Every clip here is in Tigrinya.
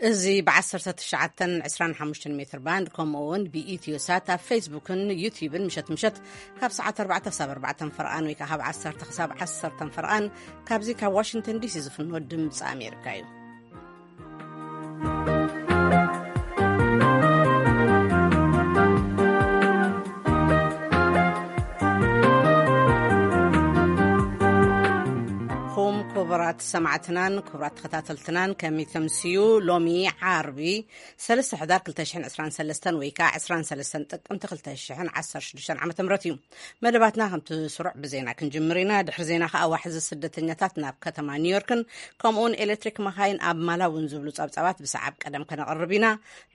እዚ ብ19 25 ሜትር ባንድ፣ ከምኡ እውን ብኢትዮ ሳት ኣብ ፌስቡክን ዩቲዩብን ምሸት ምሸት ካብ ሰዓት ኣርባዕተ ክሳብ ኣርባዕተ ፈርቓን ወይ ከዓ ካብ ዓሰርተ ክሳብ ዓሰርተ ፈርቓን ካብዚ ካብ ዋሽንግተን ዲሲ ዝፍኖ ድምፂ ኣሜሪካ እዩ። ኹም ክቡራት ሰማዕትናን ክቡራት ተኸታተልትናን፣ ከመይ ተምስዩ? ሎሚ ዓርቢ ሰለስተ ሕዳር ክልተ ሽሕን ዕስራን ሰለስተን ወይ ከዓ ዕስራን ሰለስተን ጥቅምቲ ክልተ ሽሕን ዓሰርተ ሽዱሽተን ዓመተ ምህረት እዩ። መደባትና ከምቲ ስሩዕ ብዜና ክንጅምር ኢና። ድሕሪ ዜና ከዓ ዋሕዚ ስደተኛታት ናብ ከተማ ኒውዮርክን ከምኡውን ኤሌክትሪክ መኻይን ኣብ ማላውን ዝብሉ ጸብጻባት ብሰዓብ ቀደም ከነቕርብ ኢና።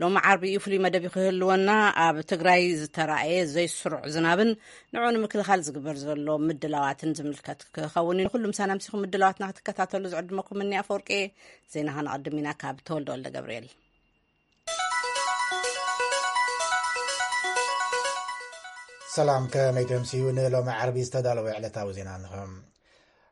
ሎሚ ዓርቢ እዩ፣ ፍሉይ መደብ እዩ ክህልወና። ኣብ ትግራይ ዝተራእየ ዘይስሩዕ ዝናብን ንዑ ንምክልኻል ዝግበር ዘሎ ምድላዋትን ዝምልከት ክኸውን እዩ። ንኩሉ ምሳና ምሲኹም ምድላዋትና ክትከታተሉ ዝዕድመኩም እኒ ኣፈወርቂ። ዜና ከነቐድም ኢና ካብ ተወልደ ወልደ ገብርኤል። ሰላም፣ ከመይ ተምስዩ? ንሎሚ ዓርቢ ዝተዳለወ ዕለታዊ ዜና እንሆ።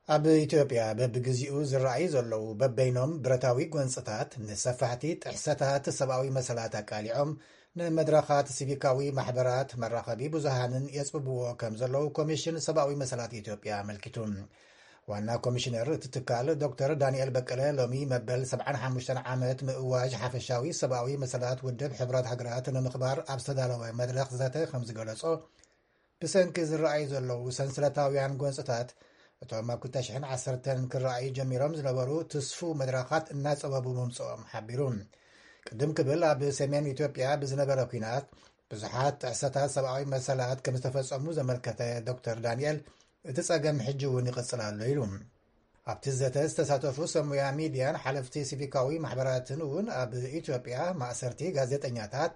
ኣብ ኢትዮጵያ በብግዜኡ ዝረኣዩ ዘለዉ በበይኖም ብረታዊ ጎንፅታት ንሰፋሕቲ ጥሕሰታት ሰብኣዊ መሰላት ኣቃሊዖም ንመድረኻት ሲቪካዊ ማሕበራት መራኸቢ ብዙሃንን የፅብብዎ ከም ዘለዉ ኮሚሽን ሰብኣዊ መሰላት ኢትዮጵያ ኣመልኪቱ። ዋና ኮሚሽነር እቲ ትካል ዶክተር ዳንኤል በቀለ ሎሚ መበል ሰብዓን ሓሙሽተን ዓመት ምእዋጅ ሓፈሻዊ ሰብኣዊ መሰላት ውድብ ሕቡራት ሃገራት ንምኽባር ኣብ ዝተዳለወ መድረኽ ዘተ ከም ዝገለጾ፣ ብሰንኪ ዝረኣዩ ዘለዉ ሰንሰለታውያን ጎንፅታት እቶም ኣብ ክልተ ሽሕን ዓሰርተን ክረኣዩ ጀሚሮም ዝነበሩ ትስፉ መድረኻት እናጸበቡ ምምጽኦም ሓቢሩ። ቅድም ክብል ኣብ ሰሜን ኢትዮጵያ ብዝነበረ ኲናት ብዙሓት ጥሕሰታት ሰብኣዊ መሰላት ከም ዝተፈጸሙ ዘመልከተ ዶክተር ዳንኤል፣ እቲ ጸገም ሕጂ እውን ይቕጽል ኣሎ ኢሉ። ኣብቲ ዘተ ዝተሳተፉ ሰብ ሞያ ሚድያን ሓለፍቲ ሲቪካዊ ማሕበራትን እውን ኣብ ኢትዮጵያ ማእሰርቲ ጋዜጠኛታት፣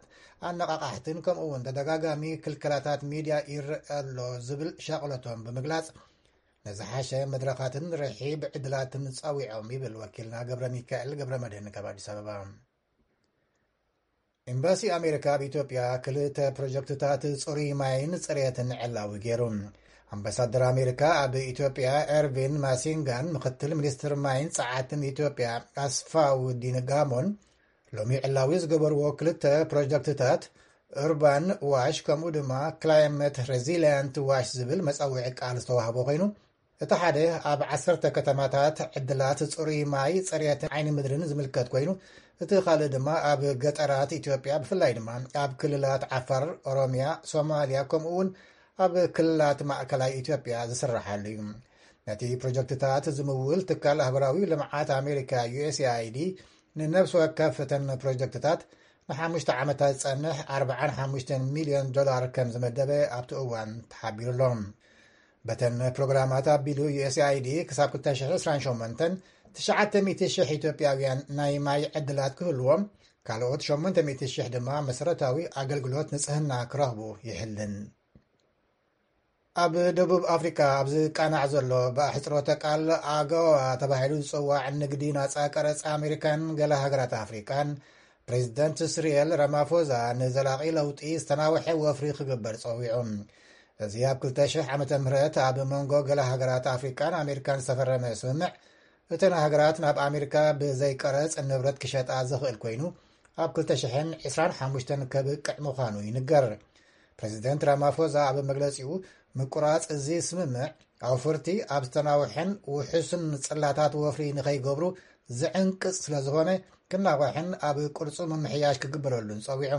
ኣነቓቓሕትን ከምኡ እውን ተደጋጋሚ ክልከላታት ሚድያ ይረአ ኣሎ ዝብል ሻቕለቶም ብምግላጽ፣ ንዝሓሸ መድረኻትን ርሒብ ዕድላትን ጸዊዖም ይብል ወኪልና ገብረ ሚካኤል ገብረ መድህን ካብ ኣዲስ ኣበባ። ኤምባሲ ኣሜሪካ ኣብ ኢትዮጵያ ክልተ ፕሮጀክትታት ጽሩይ ማይን ጽሬትን ዕላዊ ገይሩ። ኣምባሳደር ኣሜሪካ ኣብ ኢትዮጵያ ኤርቪን ማሲንጋን ምክትል ሚኒስትር ማይን ጸዓትን ኢትዮጵያ ኣስፋውዲን ጋሞን ሎሚ ዕላዊ ዝገበርዎ ክልተ ፕሮጀክትታት ኡርባን ዋሽ ከምኡ ድማ ክላይመት ሬዚሊያንት ዋሽ ዝብል መጸውዒ ቃል ዝተዋህቦ ኮይኑ፣ እቲ ሓደ ኣብ ዓሰርተ ከተማታት ዕድላት ጽሩይ ማይ፣ ጽሬትን ዓይኒ ምድርን ዝምልከት ኮይኑ፣ እቲ ካልእ ድማ ኣብ ገጠራት ኢትዮጵያ ብፍላይ ድማ ኣብ ክልላት ዓፋር፣ ኦሮሚያ፣ ሶማሊያ ከምኡ እውን ኣብ ክልላት ማእከላይ ኢትዮጵያ ዝስረሓሉ እዩ። ነቲ ፕሮጀክትታት ዝምውል ትካል ኣህጉራዊ ልምዓት ኣሜሪካ ዩ ኤስ ኤ ኣይ ዲ ንነብሲ ወከፍ እተን ፕሮጀክትታት ንሓሙሽተ ዓመታት ዝጸንሕ ኣርባዓን ሓሙሽተን ሚልዮን ዶላር ከም ዝመደበ ኣብቲ እዋን ተሓቢሩ ኣሎ። በተን ፕሮግራማት ኣቢሉ ዩ ኤስ ኤ ኣይ ዲ ክሳብ ክልተ ሽሕን ዕስራን ሸሞንተን ትሽዓተ ሚእቲ ሽሕ ኢትዮጵያውያን ናይ ማይ ዕድላት ክህልዎም፣ ካልኦት ሸሞንተ ሚእቲ ሽሕ ድማ መሰረታዊ ኣገልግሎት ንጽህና ክረኽቡ ይሕልን። ኣብ ደቡብ ኣፍሪካ ኣብ ዝቃናዕ ዘሎ ብኣሕጽሮተ ቃል ኣገዋ ተባሂሉ ዝጽዋዕ ንግዲ ናጻ ቀረጽ ኣሜሪካን ገለ ሃገራት ኣፍሪቃን፣ ፕሬዚደንት ስሪኤል ራማፎዛ ንዘላቒ ለውጢ ዝተናውሐ ወፍሪ ክግበር ጸዊዑ። እዚ ኣብ ክልተ ሽሕ ዓመተ ምህረት ኣብ መንጎ ገለ ሃገራት ኣፍሪቃን ኣሜሪካን ዝተፈረመ ስምምዕ፣ እተን ሃገራት ናብ ኣሜሪካ ብዘይ ቀረጽ ንብረት ክሸጣ ዝኽእል ኮይኑ፣ ኣብ ክልተ ሽሕን ዕስራን ሓሙሽተን ከብቅዕ ምዃኑ ይንገር። ፕሬዚደንት ራማፎዛ ኣብ መግለጺኡ፣ ምቁራጽ እዚ ስምምዕ ኣውፈርቲ ኣብ ዝተናውሐን ውሑስን ጽላታት ወፍሪ ንኸይገብሩ ዝዕንቅጽ ስለ ዝኾነ፣ ክናዋሕን ኣብ ቅርጹ ምምሕያሽ ክግበረሉን ጸዊዑ።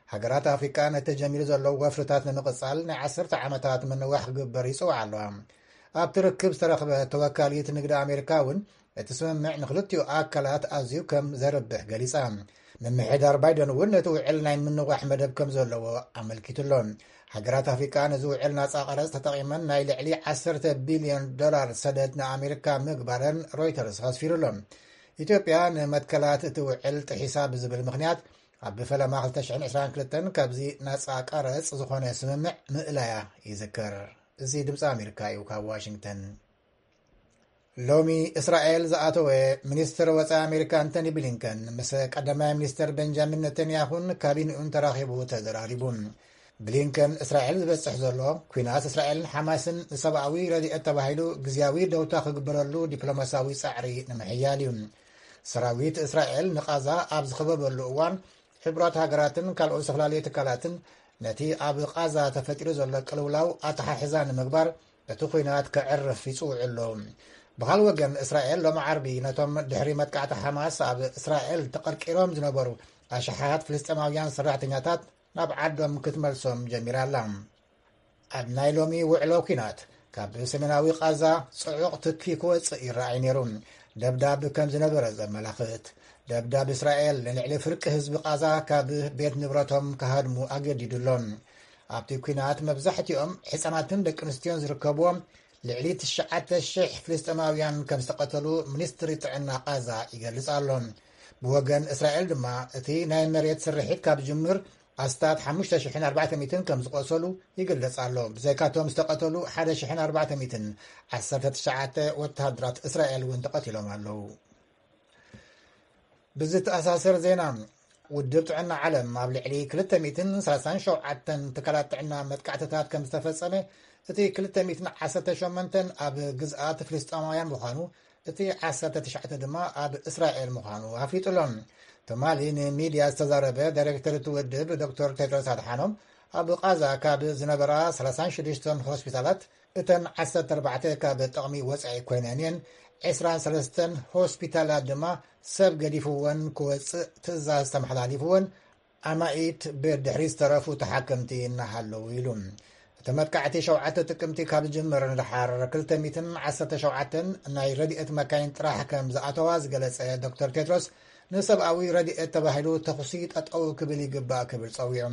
ሃገራት ኣፍሪቃ ነቲ ተጀሚሩ ዘሎ ወፍርታት ንምቕጻል ናይ ዓሰርተ ዓመታት ምንዋሕ ክግበር ይጽውዓ ኣለዋ። ኣብቲ ርክብ ዝተረኽበ ተወካሊት ንግዲ ኣሜሪካ እውን፣ እቲ ስምምዕ ንክልቲኡ ኣካላት ኣዝዩ ከም ዘርብሕ ገሊጻ። ምምሕዳር ባይደን እውን ነቲ ውዕል ናይ ምንዋሕ መደብ ከም ዘለዎ ኣመልኪቱ ኣሎ። ሃገራት ኣፍሪቃ ነዚ ውዕል ናጻ ቀረጽ ተጠቒመን ናይ ልዕሊ ዓሰርተ ቢልዮን ዶላር ሰደድ ንኣሜሪካ ምግባረን ሮይተርስ ኣስፊሩ ኣሎ። ኢትዮጵያ ንመትከላት እቲ ውዕል ጥሒሳ ብዝብል ምኽንያት፣ ኣብ ፈለማ ክልተ ሽሕን ዕስራን ክልተን ካብዚ ናጻ ቀረጽ ዝኾነ ስምምዕ ምእላያ ይዝከር። እዚ ድምፂ ኣሜሪካ እዩ፣ ካብ ዋሽንግተን። ሎሚ እስራኤል ዝኣተወ ሚኒስትር ወፃኢ ኣሜሪካ ኣንቶኒ ብሊንከን ምስ ቀዳማይ ሚኒስትር ቤንጃሚን ነተንያሁን ካቢንኡን ተራኺቡ ተዘራሪቡ። ብሊንከን እስራኤል ዝበፅሕ ዘሎ ኲናት እስራኤልን ሓማስን ንሰብኣዊ ረድኤት ተባሂሉ ግዝያዊ ደውታ ክግበረሉ ዲፕሎማሲያዊ ፃዕሪ ንምሕያል እዩ። ሰራዊት እስራኤል ንቓዛ ኣብ ዝኸበበሉ እዋን፣ ሕቡራት ሃገራትን ካልኦት ዝተፈላለዩ ትካላትን ነቲ ኣብ ቓዛ ተፈጢሩ ዘሎ ቅልውላው ኣተሓሕዛ ንምግባር እቲ ኲናት ከዕርፍ ይጽውዑ ኣለዉ። ብኻል ወገን፣ እስራኤል ሎሚ ዓርቢ ነቶም ድሕሪ መጥቃዕቲ ሓማስ ኣብ እስራኤል ተቐርቂሮም ዝነበሩ ኣሽሓት ፍልስጤማውያን ሰራሕተኛታት ናብ ዓዶም ክትመልሶም ጀሚራ ኣላ። ኣብ ናይ ሎሚ ውዕሎ ኲናት፣ ካብ ሰሜናዊ ቓዛ ጽዑቕ ትኪ ክወጽእ ይረኣይ ነይሩ። ደብዳብ ከም ዝነበረ ዘመላኽት። ደብዳብ እስራኤል ንልዕሊ ፍርቂ ህዝቢ ቓዛ ካብ ቤት ንብረቶም ክሃድሙ ኣገዲዱ ኣሎ። ኣብቲ ኲናት መብዛሕትኦም ሕጻናትን ደቂ ኣንስትዮን ዝርከብዎም ልዕሊ ትሽዓተ ሽሕ ፍልስጤማውያን ከም ዝተቐተሉ ሚኒስትሪ ጥዕና ቓዛ ይገልጽ ኣሎ። ብወገን እስራኤል ድማ፣ እቲ ናይ መሬት ስርሒት ካብ ዝጅምር ኣስታት ሓሙሽተ ሽሕን ኣርባዕተ ሚእትን ከም ዝቖሰሉ ይግለጽ ኣሎ። ብዘይካቶም ዝተቐተሉ ሓደ ሽሕን ኣርባዕተ ሚእትን፣ ዓሰርተ ትሽዓተ ወተሃደራት እስራኤል እውን ተቐቲሎም ኣለዉ። ብዝተኣሳሰር ዜና፣ ውድብ ጥዕና ዓለም ኣብ ልዕሊ ክልተ ሚእትን ሰላሳን ሸውዓተን ትካላት ጥዕና መጥቃዕትታት ከም ዝተፈጸመ፣ እቲ ክልተ ሚእትን ዓሰርተ ሸሞንተን ኣብ ግዝኣት ፍልስጤማውያን ምዃኑ፣ እቲ ዓሰርተ ትሽዓተ ድማ ኣብ እስራኤል ምዃኑ ኣፍሊጡ ኣሎ። ትማሊ ንሚድያ ዝተዛረበ ዳይሬክተር እቲ ውድብ ዶክተር ቴድሮስ ኣድሓኖም፣ ኣብ ቓዛ ካብ ዝነበራ ሰላሳን ሽዱሽተን ሆስፒታላት፣ እተን ዓሰርተ ኣርባዕተ ካብ ጥቕሚ ወጻኢ ኮይነን እየን። ዕስራን ሰለስተን ሆስፒታላት ድማ ሰብ ገዲፍወን ክወጽእ ትእዛዝ ተመሓላሊፍወን፣ ኣማኢት ብድሕሪ ዝተረፉ ተሓከምቲ እናሃለዉ ኢሉ። እቲ መጥቃዕቲ ሸውዓተ ጥቅምቲ ካብ ዝጅምር ንደሓር፣ ክልተ ሚእትን ዓሰርተ ሸውዓተን ናይ ረድኤት መካይን ጥራሕ ከም ዝኣተዋ ዝገለጸ ዶክተር ቴድሮስ፣ ንሰብኣዊ ረድኤት ተባሂሉ ተኹሲ ጠጠው ክብል ይግባእ ክብል ጸዊዑ።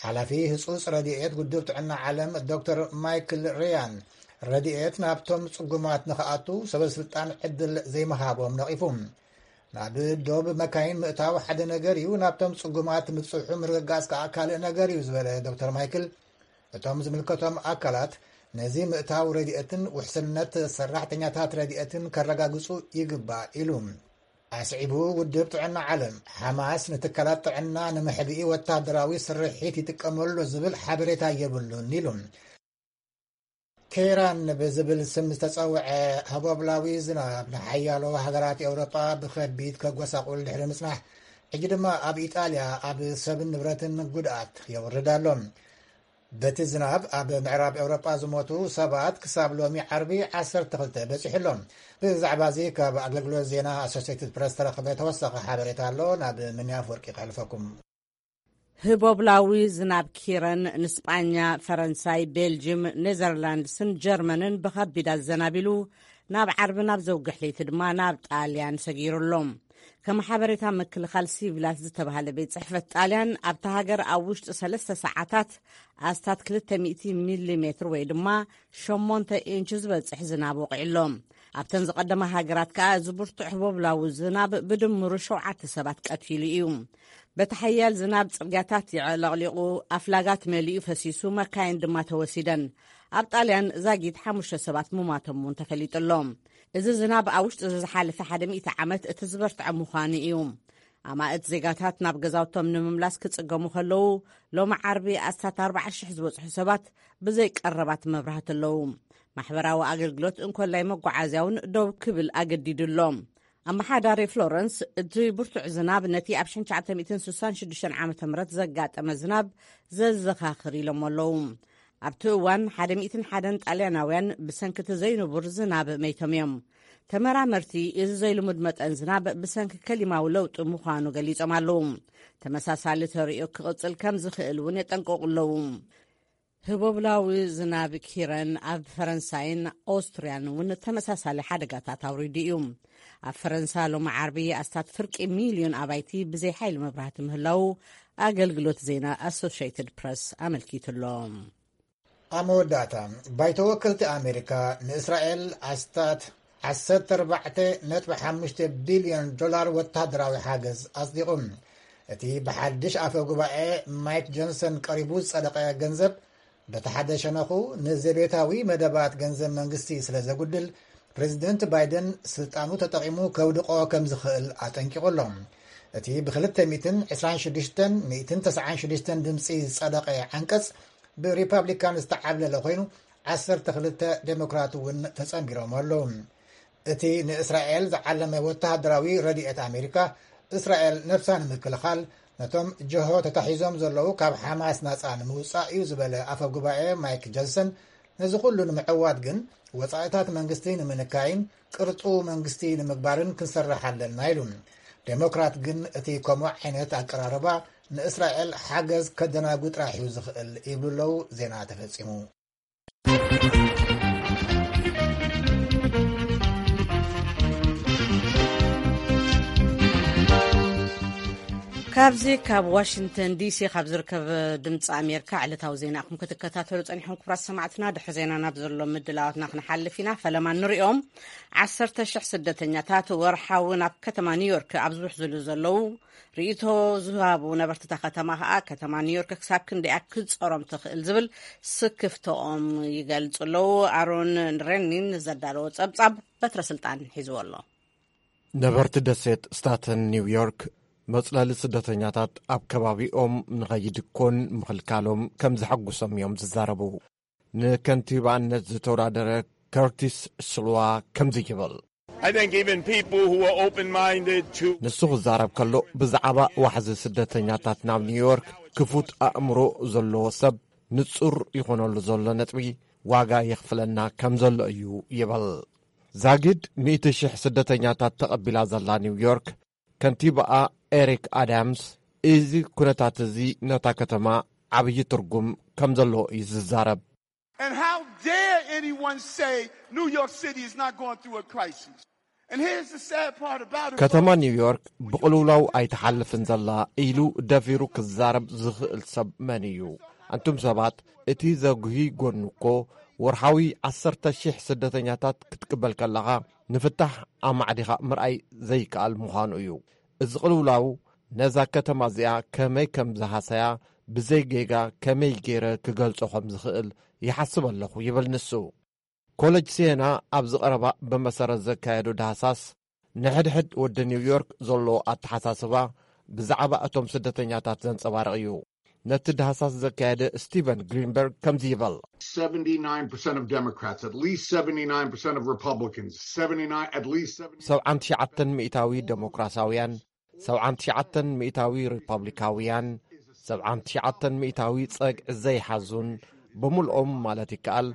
ሓላፊ ህጹጽ ረድኤት ውድብ ጥዕና ዓለም ዶክተር ማይክል ሪያን፣ ረድኤት ናብቶም ጽጉማት ንኽኣቱ ሰበ ስልጣን ዕድል ዘይምሃቦም ነቒፉ። ናብ ዶብ መካይን ምእታው ሓደ ነገር እዩ፣ ናብቶም ጽጉማት ምብጽሑ ምርግጋጽ ከኣ ካልእ ነገር እዩ ዝበለ ዶክተር ማይክል፣ እቶም ዝምልከቶም ኣካላት ነዚ ምእታው ረድኤትን ውሕስነት ሰራሕተኛታት ረድኤትን ከረጋግጹ ይግባእ ኢሉ። ኣስዒቡ፣ ውድብ ጥዕና ዓለም፣ ሓማስ ንትካላት ጥዕና ንምሕብኢ ወታደራዊ ስርሒት ይጥቀመሉ ዝብል ሓበሬታ የብሉን ኢሉ። ኬራን ብዝብል ስም ዝተጸውዐ ህቦብላዊ ዝናብ ንሓያሎ ሃገራት ኤውሮጳ ብኸቢድ ከጎሳቑል ድሕሪ ምጽናሕ፣ ሕጂ ድማ ኣብ ኢጣልያ ኣብ ሰብን ንብረትን ጉድኣት የውርድ ኣሎ። በቲ ዝናብ ኣብ ምዕራብ ኤውሮጳ ዝሞቱ ሰባት ክሳብ ሎሚ ዓርቢ ዓሰርተ ክልተ በጺሑ ኣሎ። ብዛዕባ እዚ ካብ ኣገልግሎት ዜና ኣሶሴትድ ፕረስ ተረኽበ ተወሳኺ ሓበሬታ ኣሎ። ናብ ምንያፍ ወርቂ ከሕልፈኩም። ህቦብላዊ ዝናብ ኪረን ንስጳኛ፣ ፈረንሳይ፣ ቤልጅም፣ ኔዘርላንድስን ጀርመንን ብኸቢድ ኣዘናቢሉ፣ ናብ ዓርቢ ናብ ዘውግሕ ለይቲ ድማ ናብ ጣልያን ሰጊሩ ኣሎ። ከም ሓበሬታ ምክልኻል ሲቪላት ዝተባህለ ቤት ጽሕፈት ጣልያን፣ ኣብታ ሃገር ኣብ ውሽጢ ሰለስተ ሰዓታት ኣስታት ክልተ ሚእቲ ሚሊ ሜትር ወይ ድማ ሸሞንተ ኢንች ዝበጽሕ ዝናብ ወቒዑ ኣሎ። ኣብተን ዝቐደማ ሃገራት ከኣ እዚ ብርቱዕ ህቦብላዊ ዝናብ ብድምሩ ሸውዓተ ሰባት ቀቲሉ እዩ። በቲ ሓያል ዝናብ ጽርግያታት የዕለቕሊቑ፣ ኣፍላጋት መሊኡ ፈሲሱ፣ መካይን ድማ ተወሲደን። ኣብ ጣልያን ዛጊት ሓሙሽተ ሰባት ምሟቶም እውን ተፈሊጡ ኣሎ። እዚ ዝናብ ኣብ ውሽጢ እዚ ዝሓለፈ ሓደ ሚእቲ ዓመት እቲ ዝበርትዐ ምዃኑ እዩ። ኣማእት ዜጋታት ናብ ገዛውቶም ንምምላስ ክጽገሙ ከለዉ፣ ሎሚ ዓርቢ ኣስታት ኣርባዓ ሽሕ ዝበጽሑ ሰባት ብዘይ ቀረባት መብራህቲ ኣለዉ። ማሕበራዊ ኣገልግሎት እንኮላይ መጓዓዝያ እውን ደው ክብል ኣገዲዱ ኣሎ። ኣመሓዳሪ ፍሎረንስ፣ እቲ ብርቱዕ ዝናብ ነቲ ኣብ ሽሕን ትሽዓተ ሚእትን ስሳን ሽዱሽተን ዓመተ ምህረት ዘጋጠመ ዝናብ ዘዘኻኽር ኢሎም ኣለዉ። ኣብቲ እዋን ሓደ ሚእትን ሓደን ጣልያናውያን ብሰንኪ እቲ ዘይንቡር ዝናብ መይቶም እዮም። ተመራመርቲ፣ እዚ ዘይልሙድ መጠን ዝናብ ብሰንኪ ከሊማዊ ለውጢ ምዃኑ ገሊጾም ኣለዉ። ተመሳሳሊ ተርእዮ ክቕጽል ከም ዝኽእል እውን የጠንቅቑ ኣለዉ። ህቦብላዊ ዝናብ ኪረን ኣብ ፈረንሳይን ኦስትርያን እውን ተመሳሳሊ ሓደጋታት ኣውሪዱ እዩ። ኣብ ፈረንሳ ሎሚ ዓርቢ ኣስታት ፍርቂ ሚልዮን ኣባይቲ ብዘይ ሓይሊ መብራህቲ ምህላዉ ኣገልግሎት ዜና ኣሶሽየትድ ፕረስ ኣመልኪቱ ኣሎ። ኣብ መወዳእታ፣ ባይቶ ወከልቲ ኣሜሪካ ንእስራኤል ኣስታት ዓሰርተ ኣርባዕተ ነጥቢ ሓሙሽተ ቢልዮን ዶላር ወተሃደራዊ ሓገዝ ኣጽዲቑ። እቲ ብሓድሽ ኣፈ ጉባኤ ማይክ ጆንሰን ቀሪቡ ዝጸደቐ ገንዘብ፣ በቲ ሓደ ሸነኹ፣ ንዘቤታዊ መደባት ገንዘብ መንግስቲ ስለ ዘጉድል፣ ፕሬዚደንት ባይደን ስልጣኑ ተጠቒሙ ከውድቖ ከም ዝኽእል ኣጠንቂቑ ኣሎ። እቲ ብ ክልተ ሚእትን ዕስራን ሽዱሽተን ሚእትን ተስዓን ሽዱሽተን ድምጺ ዝጸደቐ ዓንቀጽ፣ ብሪፓብሊካን ዝተዓብለለ ኮይኑ፣ ዓሰርተ ክልተ ዴሞክራት እውን ተጸንቢሮም ኣለዉ። እቲ ንእስራኤል ዝዓለመ ወተሃደራዊ ረድኤት ኣሜሪካ፣ እስራኤል ነብሳ ንምክልኻል፣ ነቶም ጀሆ ተታሒዞም ዘለዉ ካብ ሓማስ ናጻ ንምውጻእ እዩ ዝበለ ኣፈ ጉባኤ ማይክ ጆንሰን፣ ነዚ ኩሉ ንምዕዋት ግን ወጻኢታት መንግስቲ ንምንካይን ቅርጹ መንግስቲ ንምግባርን ክንሰርሕ ኣለና ኢሉ። ዴሞክራት ግን እቲ ከምኡ ዓይነት ኣቀራርባ ንእስራኤል ሓገዝ ከደናጉ ጥራሕ እዩ ዝኽእል ይብሉ ኣለዉ። ዜና ተፈጺሙ። ካብዚ ካብ ዋሽንግተን ዲሲ ካብ ዝርከብ ድምፂ ኣሜሪካ ዕለታዊ ዜና ኢኹም ክትከታተሉ ጸኒሕኩም። ክቡራት ሰማዕትና፣ ድሕሪ ዜና ናብ ዘሎ ምድላዋትና ክንሓልፍ ኢና። ፈለማ ንሪኦም። ዓሰርተ ሽሕ ስደተኛታት ወርሓዊ ናብ ከተማ ኒውዮርክ ኣብ ዝውሕዝሉ ዘለዉ፣ ርእይቶ ዝሃቡ ነበርቲ እታ ከተማ ከኣ፣ ከተማ ኒውዮርክ ክሳብ ክንደያ ክትጸሮም ትኽእል ዝብል ስክፍተኦም ይገልጹ ኣለዉ። ኣሮን ሬኒን ዘዳለዎ ጸብጻብ በትረ ስልጣን ሒዝዎ ኣሎ። ነበርቲ ደሴት ስታተን ኒውዮርክ፣ መጽለሊ ስደተኛታት ኣብ ከባቢኦም ንኸይድኮን ምኽልካሎም ከም ዘሐጉሶም እዮም ዝዛረቡ። ንከንቲባነት ዝተወዳደረ ከርቲስ ሽልዋ ከምዚ ይብል። I think even people who are open-minded to ንሱ ክዛረብ ከሎ፣ ብዛዕባ ዋሕዚ ስደተኛታት ናብ ኒውዮርክ ክፉት ኣእምሮ ዘለዎ ሰብ፣ ንጹር ይኾነሉ ዘሎ ነጥቢ ዋጋ የኽፍለና ከም ዘሎ እዩ ይብል። ዛጊድ ሚእቲ ሽሕ ስደተኛታት ተቐቢላ ዘላ ኒውዮርክ፣ ከንቲባኣ ኤሪክ ኣዳምስ፣ እዚ ኩነታት እዚ ነታ ከተማ ዓብዪ ትርጉም ከም ዘለዎ እዩ ዝዛረብ። And how dare anyone say New York City is not going through a crisis? And here's the sad part about it. ከተማ ኒውዮርክ ብቕልውላው ኣይትሓልፍን ዘላ ኢሉ ደፊሩ ክዛረብ ዝኽእል ሰብ መን እዩ? ኣንቱም ሰባት፣ እቲ ዘጉሂ ጎኑ እኮ፣ ወርሓዊ ዓሰርተ ሽሕ ስደተኛታት ክትቅበል ከለኻ፣ ንፍታሕ ኣማዕዲኻ ምርኣይ ዘይከኣል ምዃኑ እዩ። እዚ ቅልውላው ነዛ ከተማ እዚኣ ከመይ ከም ዝሃሰያ፣ ብዘይ ጌጋ ከመይ ገይረ ክገልጾ ከም ዝኽእል ይሓስብ ኣለኹ ይብል ንሱ። ኮለጅ ሲየና ኣብዚ ቀረባ ብመሰረት ዘካየዶ ዳህሳስ፣ ንሕድሕድ ወዲ ኒውዮርክ ዘሎ ኣተሓሳስባ ብዛዕባ እቶም ስደተኛታት ዘንጸባርቕ እዩ። ነቲ ዳህሳስ ዘካየደ ስቲቨን ግሪንበርግ ከምዚ ይብል። Seventy-nine percent of Democrats, at least seventy-nine percent of Republicans, seventy-nine, at least seventy. ሰብዓን ትሽዓተን ሚእታዊ ደሞክራሳውያን፣ ሰብዓን ትሽዓተን ሚእታዊ ሪፓብሊካውያን፣ ሰብዓን ትሽዓተን ሚእታዊ ጸግዒ ዘይሓዙን ብምልኦም ማለት ይከኣል፣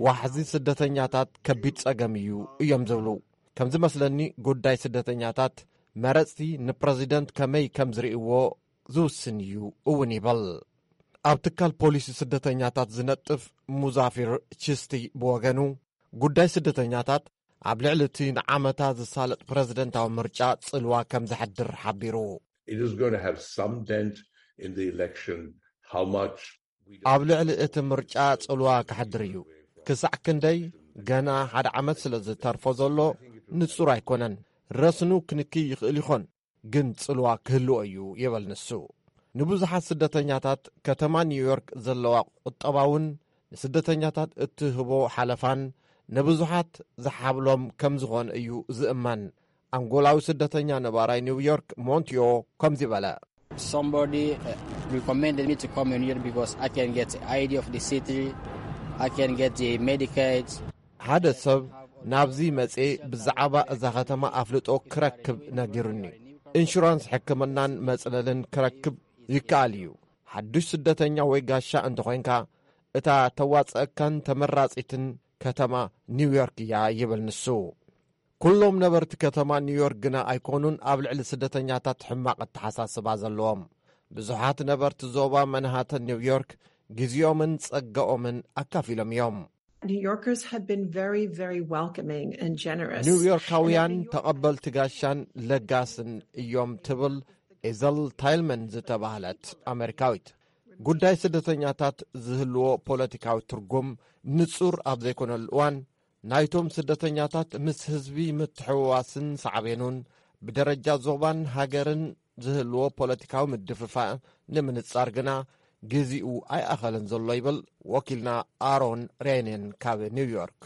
ዋሕዚ ስደተኛታት ከቢድ ጸገም እዩ እዮም ዝብሉ። ከም ዝመስለኒ፣ ጉዳይ ስደተኛታት መረጽቲ ንፕረዚደንት ከመይ ከም ዝርእይዎ ዝውስን እዩ እውን ይብል። ኣብ ትካል ፖሊሲ ስደተኛታት ዝነጥፍ ሙዛፊር ቺስቲ ብወገኑ፣ ጉዳይ ስደተኛታት ኣብ ልዕሊ እቲ ንዓመታ ዝሳለጥ ፕረዚደንታዊ ምርጫ ጽልዋ ከም ዘሕድር ሓቢሩ። It is going to have some dent in the election. How much? ኣብ ልዕሊ እቲ ምርጫ ጽልዋ ክሕድር እዩ። ክሳዕ ክንደይ? ገና ሓደ ዓመት ስለ ዝተርፎ ዘሎ ንጹር ኣይኮነን። ረስኑ ክንኪ ይኽእል ይኾን፣ ግን ጽልዋ ክህልዎ እዩ ይብል ንሱ። ንብዙሓት ስደተኛታት፣ ከተማ ኒውዮርክ ዘለዋ ቁጠባውን ንስደተኛታት እትህቦ ሓለፋን ንብዙሓት ዝሓብሎም ከም ዝኾነ እዩ ዝእመን። ኣንጎላዊ ስደተኛ ነባራይ ኒውዮርክ ሞንቲዮ ከምዚ በለ። Somebody uh, recommended me to come in here because I can get I D of the city, I can get the Medicaid. ሓደ ሰብ ናብዚ መጼ ብዛዕባ እዛ ከተማ ኣፍልጦ ክረክብ ነጊሩኒ። ኢንሹራንስ ሕክምናን መጽለልን ክረክብ ይከኣል እዩ። ሓዱሽ ስደተኛ ወይ ጋሻ እንተኾይንካ፣ እታ ተዋጽአካን ተመራጺትን ከተማ ኒውዮርክ እያ ይብል ንሱ። ኩሎም ነበርቲ ከተማ ኒውዮርክ ግና ኣይኮኑን ኣብ ልዕሊ ስደተኛታት ሕማቕ ኣተሓሳስባ ዘለዎም። ብዙሓት ነበርቲ ዞባ መንሃተን ኒውዮርክ ግዜኦምን ጸጋኦምን ኣካፊሎም እዮም። New Yorkers have been very, very welcoming and generous. ኒውዮርካውያን ተቐበልቲ ጋሻን ለጋስን እዮም ትብል ኤዘል ታይልመን ዝተባህለት ኣመሪካዊት። ጉዳይ ስደተኛታት ዝህልዎ ፖለቲካዊ ትርጉም ንጹር ኣብ ዘይኮነሉ እዋን፣ ናይቶም ስደተኛታት ምስ ህዝቢ ምትሕውዋስን ሳዕቤኑን፣ ብደረጃ ዞባን ሃገርን ዝህልዎ ፖለቲካዊ ምድፍፋእ ንምንጻር ግና ግዜኡ ኣይኣኸለን ዘሎ ይብል ወኪልና ኣሮን ሬኔን ካብ ኒውዮርክ።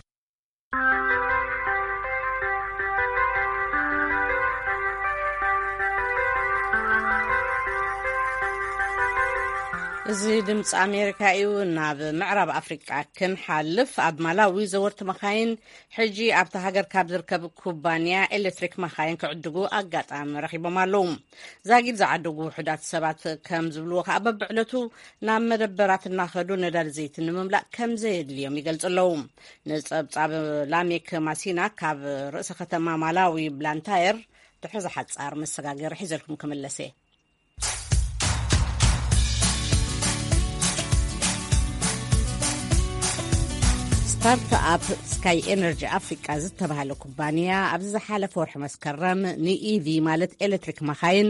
እዚ ድምፂ ኣሜሪካ እዩ። ናብ ምዕራብ ኣፍሪቃ ክንሓልፍ፣ ኣብ ማላዊ ዘወርቲ መኻይን ሕጂ ኣብታ ሃገር ካብ ዝርከብ ኩባንያ ኤሌክትሪክ መኻይን ክዕድጉ ኣጋጣሚ ረኺቦም ኣለዉ። ዛጊድ ዝዓደጉ ውሑዳት ሰባት ከም ዝብልዎ ከኣ፣ በብዕለቱ ናብ መደበራት እናኸዱ ነዳዲ ዘይቲ ንምምላእ ከም ዘየድልዮም ይገልጹ ኣለዉ። ንጸብጻብ ላሜክ ማሲና ካብ ርእሰ ከተማ ማላዊ ብላንታየር ድሕሪ ዝሓጻር መሰጋገሪ ሒዘልኩም ክምለስ እየ። ስታርትኣፕ ስካይ ኤነርጂ ኣፍሪቃ ዝተባህለ ኩባንያ ኣብዚ ዝሓለፈ ወርሒ መስከረም ንኢቪ ማለት ኤሌክትሪክ መኻይን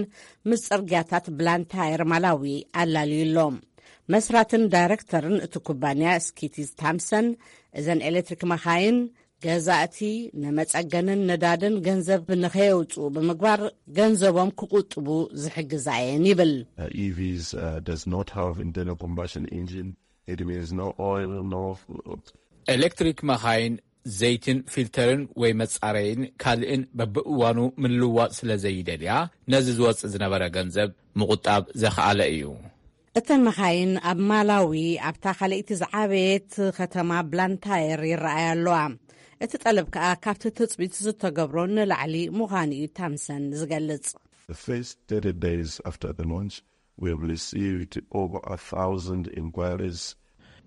ምስ ጽርግያታት ብላንታየር ማላዊ ኣላልዩ ኣሎ። መስራትን ዳይሬክተርን እቲ ኩባንያ ስኪቲዝ ታምሰን፣ እዘን ኤሌክትሪክ መኻይን ገዛእቲ ንመጸገንን ነዳድን ገንዘብ ንኸየውጽኡ ብምግባር ገንዘቦም ክቁጥቡ ዝሕግዛ እየን ይብል። Uh, E Vs uh, does not have internal combustion engine. It means no oil, no. ኤሌክትሪክ መኻይን ዘይትን ፊልተርን ወይ መጻረይን ካልእን በብእዋኑ ምልዋጥ ስለ ዘይደልያ፣ ነዚ ዝወጽእ ዝነበረ ገንዘብ ምቑጣብ ዘኽኣለ እዩ። እተን መኻይን ኣብ ማላዊ ኣብታ ካልኣይቲ ዝዓበየት ከተማ ብላንታየር ይረኣያ ኣለዋ። እቲ ጠለብ ከኣ ካብቲ ትጽቢት ዝተገብሮ ንላዕሊ ምዃኑ እዩ ታምሰን ዝገልጽ። The first thirty days after the launch, we have received over a thousand inquiries.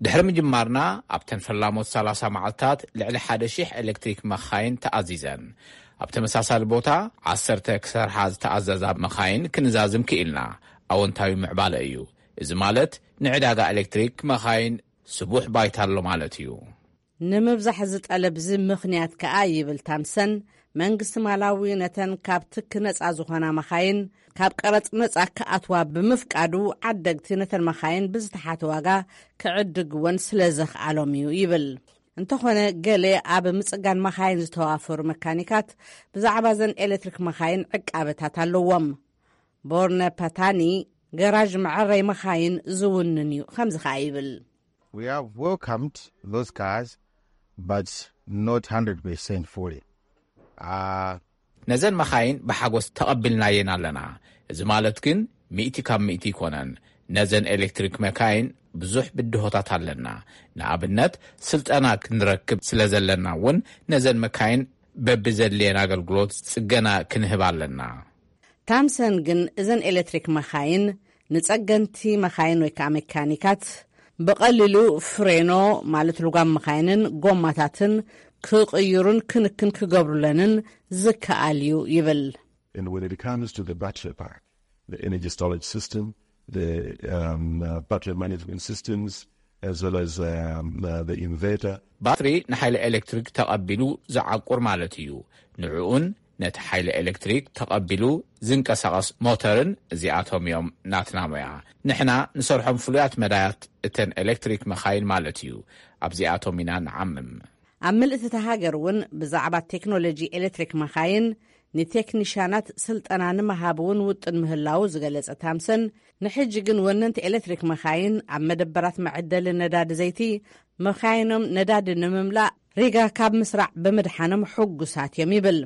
ድሕሪ ምጅማርና ኣብተን ፈላሞት ሰላሳ መዓልታት ልዕሊ ሓደ ሺሕ ኤሌክትሪክ መኻይን ተኣዚዘን። ኣብ ተመሳሳሊ ቦታ ዓሰርተ ክሰርሓ ዝተኣዘዛ መኻይን ክንዛዝም ክኢልና። ኣወንታዊ ምዕባለ እዩ። እዚ ማለት ንዕዳጋ ኤሌክትሪክ መኻይን ስቡሕ ባይታ ኣሎ ማለት እዩ። ንምብዛሕ ዝጠለብ እዚ ምኽንያት ከኣ ይብል ታምሰን፣ መንግስቲ ማላዊ ነተን ካብ ትኪ ነጻ ዝኾና መኻይን ካብ ቀረጽ ነጻ ክኣትዋ ብምፍቃዱ፣ ዓደግቲ ነተን መኻይን ብዝተሓተ ዋጋ ክዕድግወን ስለ ዘኽኣሎም እዩ ይብል። እንተኾነ፣ ገለ ኣብ ምጽጋን መኻይን ዝተዋፈሩ መካኒካት ብዛዕባ ዘን ኤሌክትሪክ መኻይን ዕቃበታት ኣለዎም። ቦርነ ፓታኒ፣ ገራዥ መዐረይ መኻይን ዝውንን እዩ፣ ከምዚ ከኣ ይብል። We have welcomed those cars, but not hundred percent fully. Uh, ነዘን መኻይን ብሓጎስ ተቐቢልናየን ኣለና። እዚ ማለት ግን ሚእቲ ካብ ሚእቲ ኣይኮነን። ነዘን ኤሌክትሪክ መካይን ብዙሕ ብድሆታት ኣለና። ንኣብነት፣ ስልጠና ክንረክብ ስለ ዘለና እውን ነዘን መካይን በብዘድልየን ኣገልግሎት ጽገና ክንህብ ኣለና። ታምሰን ግን እዘን ኤሌክትሪክ መኻይን ንጸገንቲ መኻይን ወይ ከኣ መካኒካት ብቐሊሉ ፍሬኖ ማለት ልጓም መኻይንን ጎማታትን ክቕይሩን ክንክን ክገብሩለንን ዝከኣል እዩ ይብል። And when it comes to the battery pack, the energy storage system, the um, uh, battery management systems, as well as um, uh, the inverter, ባትሪ ንሓይሊ ኤሌክትሪክ ተቐቢሉ ዝዓቁር ማለት እዩ። ንዕኡን ነቲ ሓይሊ ኤሌክትሪክ ተቐቢሉ ዝንቀሳቐስ ሞተርን፣ እዚኣቶም እዮም ናትና ሞያ። ንሕና ንሰርሖም ፍሉያት መዳያት እተን ኤሌክትሪክ መኻይን ማለት እዩ። ኣብዚኣቶም ኢና ንዓምም። ኣብ ምልእቲ እታ ሃገር እውን ብዛዕባ ቴክኖሎጂ ኤሌክትሪክ መኻይን ንቴክኒሻናት ስልጠና ንምሃብ እውን ውጥን ምህላዉ ዝገለጸ ታምሰን፣ ንሕጂ ግን ወነንቲ ኤሌክትሪክ መኻይን ኣብ መደበራት መዐደሊ ነዳዲ ዘይቲ መኻይኖም ነዳዲ ንምምላእ ሪጋ ካብ ምስራዕ ብምድሓኖም ሕጉሳት እዮም ይብል።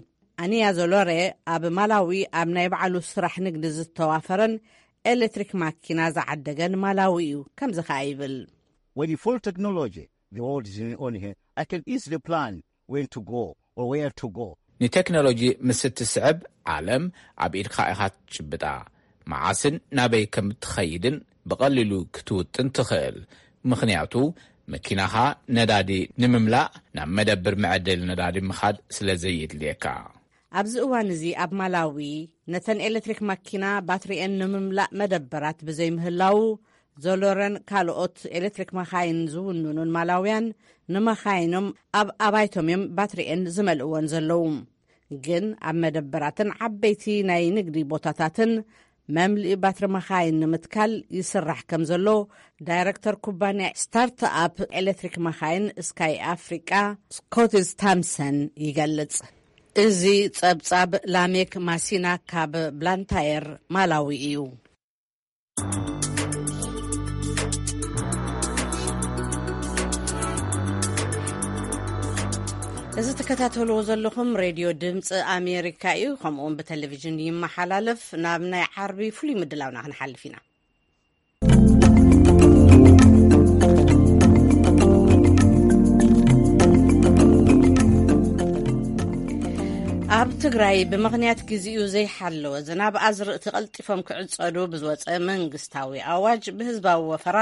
ኣኒያ ዞሎሬ ኣብ ማላዊ ኣብ ናይ ባዕሉ ስራሕ ንግዲ ዝተዋፈረን ኤሌክትሪክ ማኪና ዝዓደገን ማላዊ እዩ። ከምዚ ከኣ ይብል። With the full technology the world is on here, I can easily plan when to go or where to go. ንቴክኖሎጂ ምስ እትስዕብ፣ ዓለም ኣብ ኢድካ ኢኻ ትጭብጣ። መዓስን ናበይ ከም እትኸይድን ብቐሊሉ ክትውጥን ትኽእል። ምኽንያቱ፣ መኪናኻ ነዳዲ ንምምላእ ናብ መደብር መዐደሊ ነዳዲ ምኻድ ስለ ዘየድልየካ። ኣብዚ እዋን እዚ ኣብ ማላዊ ነተን ኤሌክትሪክ ማኪና ባትሪኤን ንምምላእ መደበራት ብዘይምህላዉ፣ ዞሎረን ካልኦት ኤሌክትሪክ መኻይን ዝውንኑን ማላውያን ንመኻይኖም ኣብ ኣባይቶም እዮም ባትሪኤን ዝመልእወን ዘለዉ። ግን ኣብ መደበራትን ዓበይቲ ናይ ንግዲ ቦታታትን መምልኢ ባትሪ መኻይን ንምትካል ይስራሕ ከም ዘሎ ዳይረክተር ኩባንያ ስታርትኣፕ ኤሌክትሪክ መኻይን ስካይ ኣፍሪቃ ስኮትስ ታምሰን ይገልጽ። እዚ ጸብጻብ ላሜክ ማሲና ካብ ብላንታየር ማላዊ እዩ። እዚ ትከታተልዎ ዘለኹም ሬድዮ ድምፂ ኣሜሪካ እዩ። ከምኡውን ብቴሌቪዥን ይመሓላለፍ። ናብ ናይ ዓርቢ ፍሉይ ምድላውና ክንሓልፍ ኢና። ትግራይ ብምኽንያት ግዜኡ ዘይሓለወ ዝናብ ኣዝርእቲ ቀልጢፎም ክዕጸዱ ብዝወጸ መንግስታዊ ኣዋጅ ብህዝባዊ ወፈራ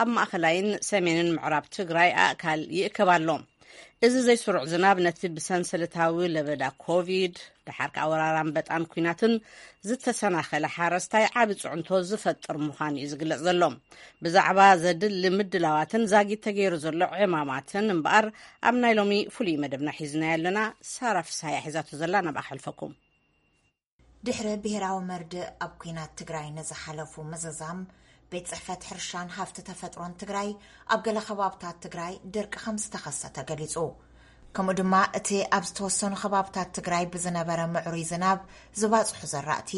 ኣብ ማእኸላይን ሰሜንን ምዕራብ ትግራይ ኣእካል ይእከብ ኣሎ። እዚ ዘይስሩዕ ዝናብ ነቲ ብሰንሰለታዊ ለበዳ ኮቪድ፣ ደሓር ከኣ ወራር ኣንበጣን ኲናትን ዝተሰናኸለ ሓረስታይ ዓቢ ጽዕንቶ ዝፈጥር ምዃኑ እዩ ዝግለጽ ዘሎ። ብዛዕባ ዘድሊ ምድላዋትን ዛጊት ተገይሩ ዘሎ ዕማማትን እምበኣር ኣብ ናይ ሎሚ ፍሉይ መደብና ሒዝናዮ ኣለና። ሳራ ፍስሃያ ሒዛቶ ዘላ፣ ናብኣ ከሕልፈኩም። ድሕሪ ብሄራዊ መርድእ ኣብ ኲናት ትግራይ ንዝሓለፉ ምዝዛም፣ ቤት ጽሕፈት ሕርሻን ሃፍቲ ተፈጥሮን ትግራይ ኣብ ገለ ከባብታት ትግራይ ድርቂ ከም ዝተኸሰተ ገሊጹ። ከምኡ ድማ እቲ ኣብ ዝተወሰኑ ከባብታት ትግራይ ብዝነበረ ምዕሩይ ዝናብ ዝባጽሑ ዘራእቲ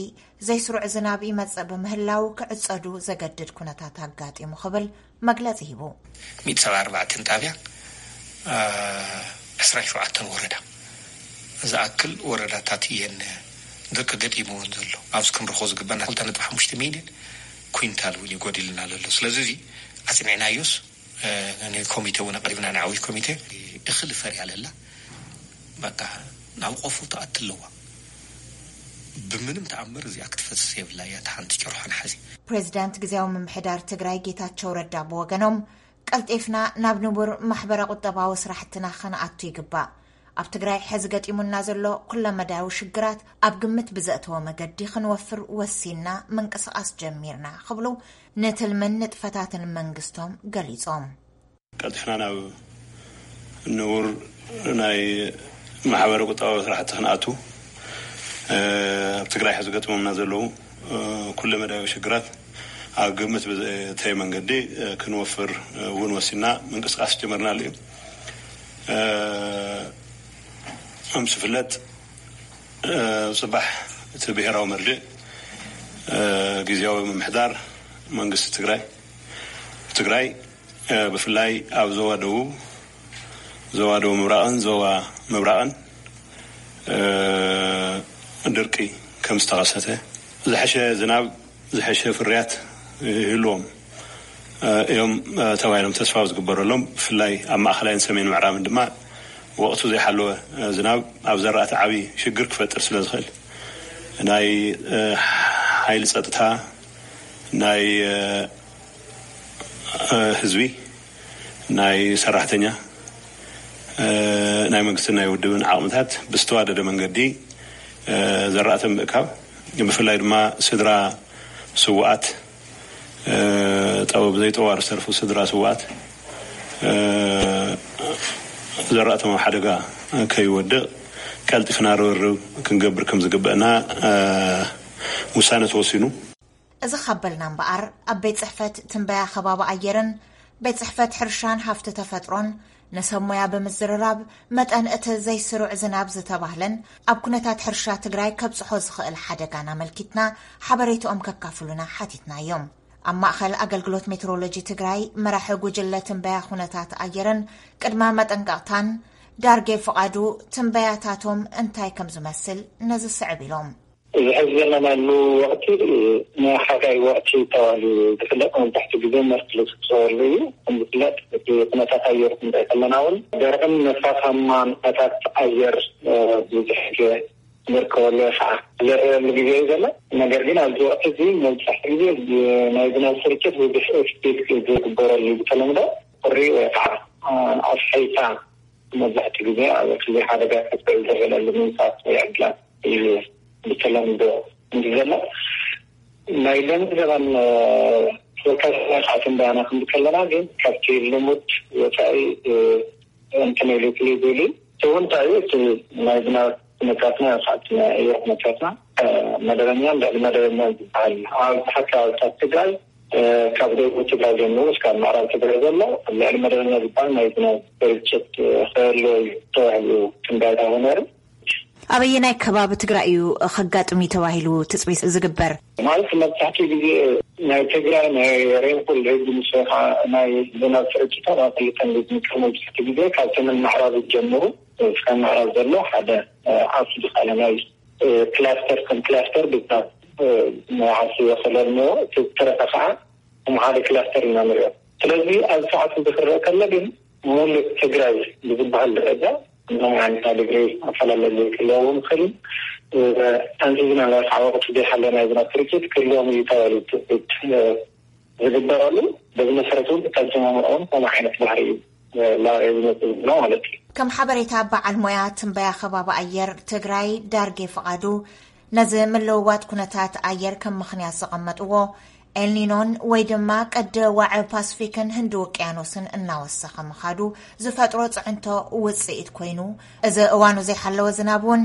ዘይስሩዕ ዝናብ ይመጽእ ብምህላው ክዕጸዱ ዘገድድ ኩነታት ኣጋጢሙ ክብል መግለጺ ሂቡ። ሚእቲ ሰብዓ ኣርባዕተን ጣብያ፣ አ፣ ዕስራን ሸውዓተን ወረዳ ዝኣክል ወረዳታት እየን ድርቂ ገጢምወን ዘሎ። ኣብዚ ክንረኽቦ ዝግበና ክልተ ነጥቢ ሓሙሽተ ሚልዮን ኩንታል እውን ይጎድልና ዘሎ። ስለዚ እዚ ኣጽኒዕናዮስ፣ እ፣ ንኮሚቴ እውን ኣቕሪብና፣ ንዓብይ ኮሚቴ። እኽሊ ፈርያ ለላ፣ በቃ ናብ ቆፎ ትኣቲ ኣለዋ። ብምንም ተኣምር እዚኣ ክትፈስስ የብላ እያ፣ እታ ሓንቲ ጨርሖ ንሓዚ። ፕሬዚዳንት ግዜያዊ ምምሕዳር ትግራይ ጌታቸው ረዳ ብወገኖም፣ ቀልጢፍና ናብ ንቡር ማሕበረ ቁጠባዊ ስራሕትና ክንኣቱ ይግባእ። ኣብ ትግራይ ሕዚ ገጢሙና ዘሎ ኩለመዳያዊ ሽግራት ኣብ ግምት ብዘእተወ መገዲ ክንወፍር ወሲንና ምንቅስቃስ ጀሚርና ክብሉ ንትልምን ንጥፈታትን መንግስቶም ገሊጾም። ቀልጢፍና ናብ ንቡር ናይ ማሕበረ ቁጠባዊ ስራሕቲ ክንኣቱ፣ እ፣ ኣብ ትግራይ ሕዚ ገጥሞምና ዘለዉ፣ እ፣ ኩለመዳያዊ ሽግራት ኣብ ግምት ብዘእተየ መንገዲ፣ እ፣ ክንወፍር፣ እ፣ እውን ወሲንና ምንቅስቃስ ጀመርናሉ እዩ። እ፣ ከም ዝፍለጥ፣ እ፣ ጽባሕ እቲ ብሄራዊ መርድእ፣ እ፣ ግዜያዊ ምምሕዳር መንግስቲ ትግራይ፣ ትግራይ፣ እ፣ ብፍላይ ኣብ ዞባ ደቡብ፣ ዞባ ደቡብ ምብራቕን ዞባ ምብራቕን፣ እ፣ ድርቂ ከም ዝተኸሰተ፣ ዝሐሸ ዝናብ፣ ዝሐሸ ፍርያት ይህልዎም፣ እ፣ እዮም፣ እ፣ ተባሂሎም ተስፋ ዝግበረሎም፣ ብፍላይ ኣብ ማእኸላይን ሰሜን ምዕራብን ድማ ወቕቱ ዘይሓለወ፣ እ፣ ዝናብ ኣብ ዘራእቲ ዓብዪ ሽግር ክፈጥር ስለ ዝኽእል፣ ናይ፣ እ፣ ሓይሊ ጸጥታ፣ ናይ፣ እ፣ እ፣ ህዝቢ፣ ናይ ሰራሕተኛ፣ እ፣ ናይ መንግስትን ናይ ውድብን ዓቕምታት ብዝተዋደደ መንገዲ፣ እ፣ ዘራእቲ ምእካብ፣ ብፍላይ ድማ ስድራ ስውኣት፣ እ፣ ጠው-፣ ብዘይጠዋሪ ዝተርፉ ስድራ ስውኣት፣ እ፣ ዘራእቶም ኣብ ሓደጋ ከይወድቕ ቀልጢፍና ርብርብ ክንገብር ከም ዝግበአና፣ እ፣ ውሳነ ተወሲኑ። እዚ ካብ በልና እምበኣር፣ ኣብ ቤት ጽሕፈት ትንበያ ከባቢ ኣየርን ቤት ጽሕፈት ሕርሻን ሃፍቲ ተፈጥሮን ንሰብ ሞያ ብምዝርራብ፣ መጠን እቲ ዘይስሩዕ ዝናብ ዝተባህለን ኣብ ኩነታት ሕርሻ ትግራይ ከብጽሖ ዝኽእል ሓደጋን ኣመልኪትና ሓበሬትኦም ከካፍሉና ሓቲትናዮም። ኣብ ማእኸል ኣገልግሎት ሜትሮሎጂ ትግራይ መራሒ ጉጅለ ትንበያ ኩነታት ኣየርን ቅድመ መጠንቀቕታን ዳርጌ ፍቓዱ ትንበያታቶም እንታይ ከም ዝመስል ነዚ ስዕብ ኢሎም። እዚ ሕዚ ዘለናሉ ወቕቲ ናይ ሓጋይ ወቕቲ ተባሂሉ ዝፍለጥ፣ መብዛሕትኡ ግዜ መርትሎ ዝፍፀወሉ እዩ። ከም ዝፍለጥ፣ እቲ ኩነታት ኣየር ክንርኢ ከለና እውን ደረቕን ነፋሳማን ኩነታት ኣየር፣ እ፣ ብዙሕ ግዜ ንርከበሉ ወይ ከዓ ዝረኣየሉ ግዜ እዩ ዘሎ። ነገር ግን ኣብዚ ወቕቲ እዚ መብዛሕትኡ ግዜ ዝ-፣ ናይ ዝናብ ስርጭት ብዙሕ ኤክስፔክት ዝግበረሉ እዩ። ብተለምዶ ቁሪ ወይ ከዓ፣ እ፣ ኣስሓይታ መብዛሕትኡ ግዜ ኣብ ክሊ ሓደጋ ከስዕብ ዝኽእለሉ ምንጻት ወይ ዕድላት እዩ ብተለምዶ እንዲ ዘሎ። ናይ ሎሚ ዘበን፣ እ፣ ፎርካስት ናይ ሰዓት እንዳና ክንዲ ከለና ግን ካብቲ ልሙድ ወፃኢ፣ እ፣ እንትን ኢሉ ፍልይ ኢሉ። እቲ እውን እንታይ እዩ? እቲ ናይ ዝናብ ኩነታትና፣ ሰዓት ናይ ኣየር ኩነታትና፣ እ፣ መደበኛን ልዕሊ መደበኛን ዝበሃል ኣብ ብዙሓት ከባብታት ትግራይ፣ እ፣ ካብ ደቡብ ትግራይ ጀሚሩ እስካብ ምዕራብ ትግራይ ዘሎ ልዕሊ መደበኛ ዝበሃል ናይ ዝናብ ስርጭት፣ እ፣ ክህልዎ እዩ ተባሂሉ ትንበያ ተባሂሉ ነይሩ። ኣበየናይ ከባቢ ትግራይ እዩ ከጋጥም እዩ ተባሂሉ ትፅቢት ዝግበር? ማለት መብዛሕትኡ ግዜ ናይ ትግራይ ናይ ሬንፎል ሬጅን ምስ ወይ ከዓ ናይ ዝናብ ስርጭታ ኣብ ክልተ ዝምቀል። መብዛሕትኡ ግዜ ካብ ሰሜን ምዕራብ ጀምሩ እስካብ ምዕራብ ዘሎ ሓደ፣ እ፣ ዓርሱ ዝኸኣለ ናይ፣ እ፣ ክላስተር ከም ክላስተር ብዝናብ፣ እ፣ ናይ ዓርሱ ይኸለል እሞ እቲ ዝተረፈ ከዓ ከም ሓደ ክላስተር ኢና ንሪኦ። ስለዚ ኣብዚ ሰዓት እዚ ክረአ ከሎ ግን ሙሉእ ትግራይ ብዝበሃል ደረጃ ምንም ዓይነት ናይ ዲግሪ ኣፈላለየ ክህልዎም ይኽእል እዩ። ሓንቲ ዝናባር ዓወቕቲ ዘይሓለ ናይ ዝናብ ስርጭት ክህልዎም እዩ ተባሂሉ ትፅቢት ዝግበረሉ፣ በዚ መሰረት እውን እታ ዝሰማምዖ እውን ከምኡ ዓይነት ባህሪ እዩ ላዕሊ ዝመፅእ ዘሎ ማለት እዩ። ከም ሓበሬታ በዓል ሞያ ትንበያ ከባቢ ኣየር ትግራይ ዳርጌ ፍቓዱ፣ ነዚ ምልውዋጥ ኩነታት ኣየር ከም ምኽንያት ዘቐመጥዎ፣ ኤልኒኖን ወይ ድማ ቀደ ዋዒ ፓስፊክን ህንዲ ውቅያኖስን እናወሰኸ ምኻዱ ዝፈጥሮ ፅዕንቶ ውፅኢት ኮይኑ፣ እዚ እዋኑ ዘይሓለወ ዝናብ እውን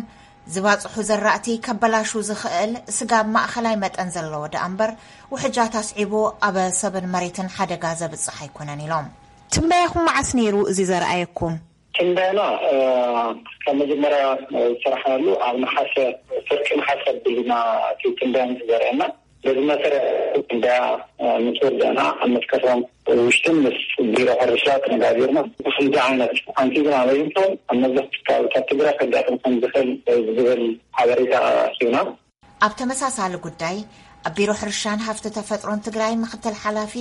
ዝባፅሑ ዘራእቲ ከበላሹ ዝኽእል ስጋብ ማእኸላይ መጠን ዘለዎ ደኣ እምበር፣ ውሕጃት ኣስዒቡ ኣብ ሰብን መሬትን ሓደጋ ዘብፅሕ ኣይኮነን ኢሎም። ትንበያኹም መዓስ ነይሩ እዚ ዘርኣየኩም? ትንበያና ካብ መጀመርያ ዝሰራሕናሉ ኣብ ነሓሰ፣ ፍርቂ ነሓሰ ኣቢልና እቲ ትንበያ ምስ ዘርእየና፣ በዚ መሰረት ትንበያ ምስ ወዳእና ኣብ መስከረም ውሽጥን ምስ ቢሮ ሕርሻ ተነጋጊርና፣ ብክልተ ዓይነት ሓንቲ ዝናብ ኣይንቶም ኣብ መብዛሕትኡ ከባቢታት ትግራይ ከጋጥም ከም ዝኽእል ዝብል ሓበሬታ ሂብና። ኣብ ተመሳሳሊ ጉዳይ፣ ኣብ ቢሮ ሕርሻን ሃፍቲ ተፈጥሮን ትግራይ ምክትል ሓላፊ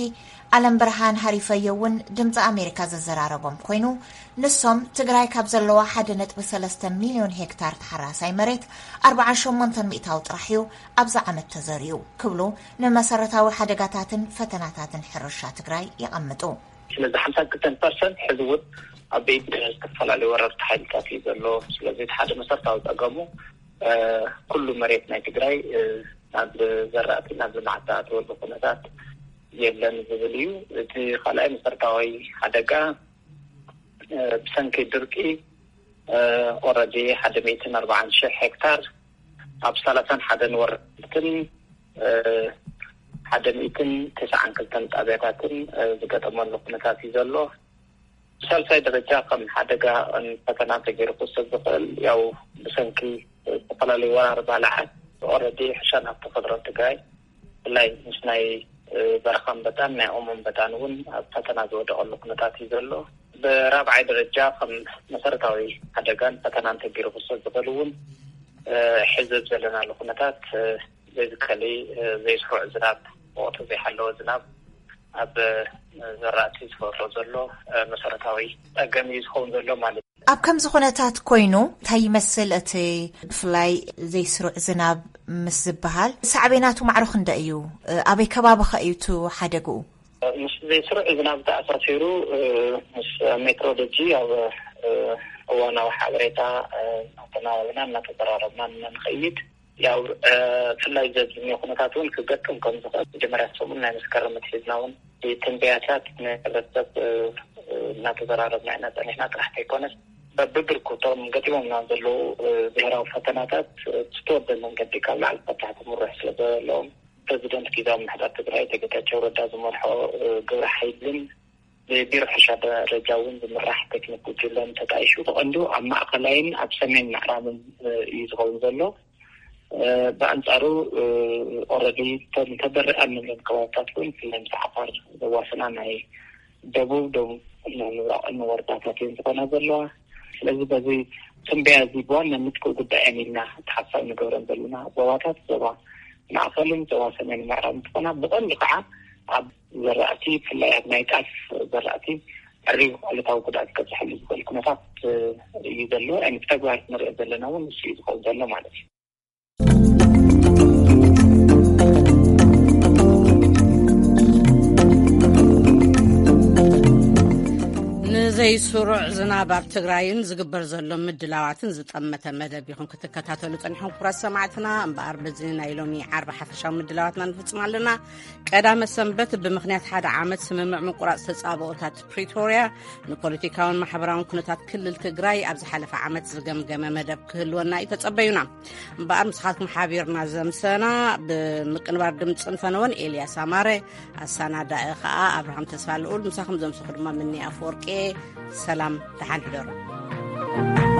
ኣለም ብርሃን ሃሪፈዮ እውን ድምፂ ኣሜሪካ ዘዘራረቦም ኮይኑ፣ ንሶም ትግራይ ካብ ዘለዋ ሓደ ነጥቢ ሰለስተ ሚልዮን ሄክታር ተሓራሳይ መሬት ኣርብዓ ሸሞንተ ሚእታዊ ጥራሕ እዩ ኣብዚ ዓመት ተዘሪኡ ክብሉ ንመሰረታዊ ሓደጋታትን ፈተናታትን ሕርሻ ትግራይ የቐምጡ። ስለዚ ሓምሳ ክልተ ፐርሰንት ሕዚ እውን ኣብ ቤት ዝተፈላለዩ ወረርቲ ሓይልታት እዩ ዘሎ። ስለዚ እቲ ሓደ መሰረታዊ ፀገሙ ኩሉ መሬት ናይ ትግራይ ናብ ዘራእቲ ናብ ልምዓት ዝኣተወሉ ኩነታት የለን ዝብል እዩ። እቲ ካልኣይ መሰረታዊ ሓደጋ ብሰንኪ ድርቂ ኦረዲ ሓደ ሚእትን ኣርባዓን ሽሕ ሄክታር ኣብ ሰላሳን ሓደን ወረዳትን ሓደ ሚእትን ተስዓን ክልተን ጣብያታትን ዝገጠመሉ ኩነታት እዩ ዘሎ። ብሳልሳይ ደረጃ ከም ሓደጋ ፈተና ተገይሩ ክወሰድ ዝኽእል ያው ብሰንኪ ዝተፈላለዩ ወራር ባልዓት ኦረዲ ሕርሻን ሃፍቲ ተፈጥሮን ትግራይ ብፍላይ ምስ ናይ በረኻ ኣንበጣን ናይ ኦሞ ኣንበጣን እውን ኣብ ፈተና ዝወደቐሉ ኩነታት እዩ ዘሎ። ብራብዓይ ደረጃ ከም መሰረታዊ ሓደጋን ፈተናን ተገይሩ ክወሰድ ዝኽእል እውን ሕዚ ዘለናሉ ኩነታት ቤዚካሊ ዘይስሩዕ ዝናብ፣ ወቕቱ ዘይሓለወ ዝናብ ኣብ ዘራእቲ ዝፈጥሮ ዘሎ መሰረታዊ ፀገም እዩ ዝኸውን ዘሎ ማለት እዩ። ኣብ ከምዚ ኩነታት ኮይኑ እንታይ ይመስል እቲ ብፍላይ ዘይስሩዕ ዝናብ ምስ ዝበሃል ሳዕቤናቱ ማዕሮ ክንደይ እዩ? ኣበይ ከባቢ ኸ እዩ እቲ ሓደግኡ? ምስ ዘይስሩዕ ዝናብ ተኣሳሲሩ ምስ ሜትሮሎጂ ኣብ እዋናዊ ሓበሬታ እናተናበብና እናተዘራረብና ንኸይድ ያው ብፍላይ ዘዝምዮ ኩነታት እውን ክገጥም ከም ዝኽእል መጀመርያ ሰሙን ናይ መስከረም ኣትሒዝና እውን ትንበያታት ንሕብረተሰብ እናተዘራረብና ኢና ፀኒሕና። ጥራሕ ከይኮነስ በብብርኩቶም ገጢሞምና ዘለዉ ብሄራዊ ፈተናታት ብዝተወደበ መንገዲ ካብ ላዕሊ ካብ ታሕቲ ምርሕ ስለ ዘለዎም ፕረዚደንት ጊዜያዊ ምምሕዳር ትግራይ ኣቶ ጌታቸው ረዳ ዝመርሖ ግብረ ሓይልን ብቢሮ ሕርሻ ደረጃ እውን ዝምራሕ ቴክኒክ ጉጅለን ተጣይሹ ብቐንዱ ኣብ ማእኸላይን ኣብ ሰሜን ምዕራብን እዩ ዝኸውን ዘሎ። ብኣንፃሩ ኦረዲ ተበርእ ኣብ ንብለን ከባብታት እውን ብፍላይ ምስ ዓፋር ዘዋስና ናይ ደቡብ ደቡብ ምብራቕን ወረዳታት እየን ዝኾና ዘለዋ። ስለዚ በዚ ትንበያ እዚ ብዋናነት ክጉዳእን ኢልና ተሓሳብ ንገብረን ዘለና ዞባታት ዞባ ማእኸልን ዞባ ሰሜን ምዕራብ እንትኾና ብቐንዱ ከዓ ኣብ ዘራእቲ ብፍላይ ኣብ ናይ ጣፍ ዘራእቲ ዕሪብ ዕለታዊ ጉድኣት ከብፅሐሉ ዝኽእል ኩነታት እዩ ዘሎ። ብተግባር ንሪኦ ዘለና እውን ንሱ እዩ ዝኸውን ዘሎ ማለት እዩ። ንዘይስሩዕ ዝናብ ኣብ ትግራይን ዝግበር ዘሎ ምድላዋትን ዝጠመተ መደብ ኢኹም ክትከታተሉ ጸኒሕኩም ክቡራት ሰማዕትና። እምበኣር በዚ ናይ ሎሚ ዓርቢ ሓፈሻዊ ምድላዋትና ንፍጽም ኣለና። ቀዳመ ሰንበት ብምኽንያት ሓደ ዓመት ስምምዕ ምቁራጽ ተጻብኦታት ፕሪቶርያ ንፖለቲካውን ማሕበራውን ኩነታት ክልል ትግራይ ኣብ ዝሓለፈ ዓመት ዝገምገመ መደብ ክህልወና እዩ ተጸበዩና። እምበኣር ምስኻትኩም ሓቢርና ዘምሰና ብምቅንባር ድምፅን ፈነወን ኤልያስ ኣማረ፣ ኣሳናዳኢ ኸዓ ኣብርሃም ተስፋ ልኡል፣ ምሳኹም ዘምሰኹ ድማ ምኒ ኣፈወርቄ። ሰላም ደሓን ሕደሩ።